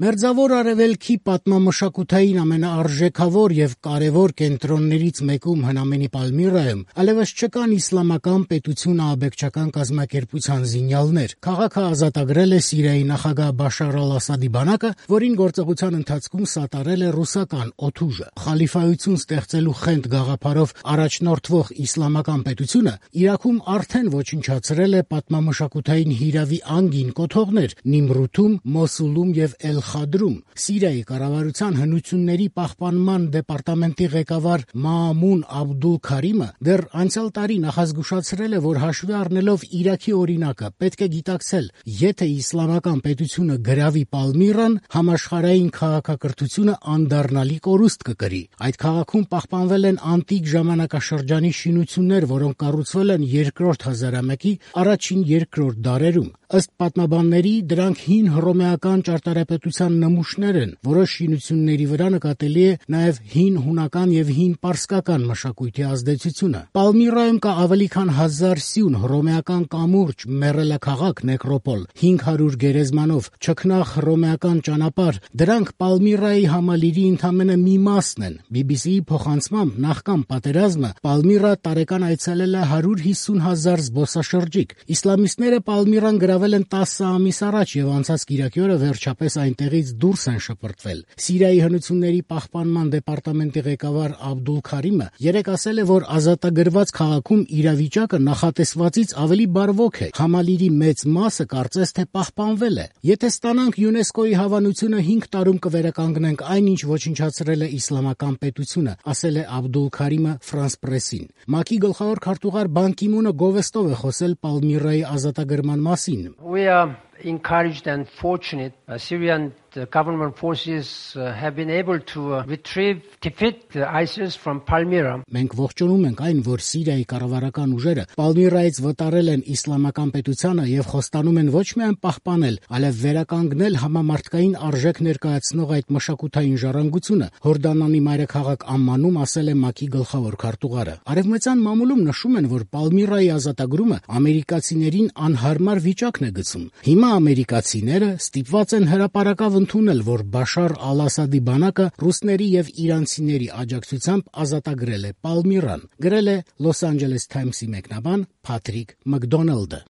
Մերձավոր Արևելքի պատմամշակութային ամենաարժեքավոր եւ կարեւոր կենտրոններից մեկում հնամենի Պալմիրայում այլևս չկան իսլամական պետություն ահաբեկչական կազմակերպության զինյալներ։ Քաղաքը ազատագրել է Սիրիայի նախագահ Բաշար al-Ասադի բանակը, որին գործողության ընթացքում սատարել է ռուսական օդուժը։ Խալիֆայություն ստեղծելու խենթ գաղափարով առաջնորդվող իսլամական պետությունը Իրաքում արդեն ոչնչացրել է պատմամշակութային հիրավի անգին կոթողներ Նիմրութում, Մոսուլում եւ Խադրում։ Սիրիայի կառավարության հնությունների պահպանման դեպարտամենտի ղեկավար Մաամուն Աբդուլ Քարիմը դեռ անցյալ տարի նախազգուշացրել է, որ հաշվի առնելով Իրաքի օրինակը, պետք է գիտակցել, եթե իսլամական պետությունը գրավի Պալմիրան, համաշխարհային քաղաքակրթությունը անդառնալի կորուստ կկրի։ Այդ քաղաքում պահպանվել են անտիկ ժամանակաշրջանի շինություններ, որոնք կառուցվել են երկրորդ հազարամյակի առաջին-երկրորդ դարերում։ Ըստ պատմաբանների, դրանք հին հռոմեական ճարտարապետության նմուշներ են։ Որոշ շինությունների վրա նկատելի է նաև հին հունական եւ հին պարսկական մշակույթի ազդեցությունը։ Պալմիրայում կա ավելի քան 1000 սյուն, հռոմեական կամուրջ, մեռելաքաղաք նեկրոպոլ, 500 գերեզմանով, չքնաղ հռոմեական ճանապարհ։ Դրանք Պալմիրայի համալիրի ընդամենը մի մասն են։ BBC-ի փոխանցմամբ նախքան պատերազմը Պալմիրա տարեկան այցելել է 150,000 զբոսաշրջիկ։ Իսլամիստները Պալմիրան գրավել են 10 ամիս առաջ եւ անցած կիրակի օրը վերջապես այնտեղից դուրս են շպրտվել։ Սիրիայի հնությունների պահպանման դեպարտամենտի ղեկավար Աբդուլ Քարիմը երեկ ասել է, որ ազատագրված քաղաքում իրավիճակը նախատեսվածից ավելի բարվոք է։ Համալիրի մեծ մասը կարծես թե պահպանվել է։ Եթե ստանանք ՅՈՒՆԵՍԿՕ-ի հավանությունը 5 տարում կվերականգնենք այն, ինչ ոչնչացրել է իսլամական պետությունը, ասել է Աբդուլ Քարիմը France Press-ին։ ՄԱԿ-ի գլխավոր քարտուղար Բան Կի Մունը գովեստով է խոսել Պալմիրայի ազատագրման մասին։ We are encouraged and fortunate. Syrian government forces have been able to defeat ISIS from Palmyra. Մենք ողջունում ենք այն, որ Սիրիայի կառավարական ուժերը Պալմիրայից վտարել են իսլամական պետությանը եւ խոստանում են ոչ միայն պահպանել, այլև վերականգնել համամարտկային արժեք ներկայացնող այդ մշակութային ժառանգությունը, Հորդանանի մայրաքաղաք Ամմանում ասել է ՄԱԿ-ի գլխավոր քարտուղարը։ Արևմտյան մամուլում նշում են, որ Պալմիրայի ազատագրումը ամերիկացիներին անհարմար վիճակն է գցում։ Հիմա ամերիկացիները ստիպված են հրապարակավ ընդունել, որ Բաշար al-Ասադի բանակը ռուսների եւ իրանցիների աջակցությամբ ազատագրել է Պալմիրան, գրել է Los Angeles Times-ի մեկնաբան Փաթրիկ Մակդոնալդը։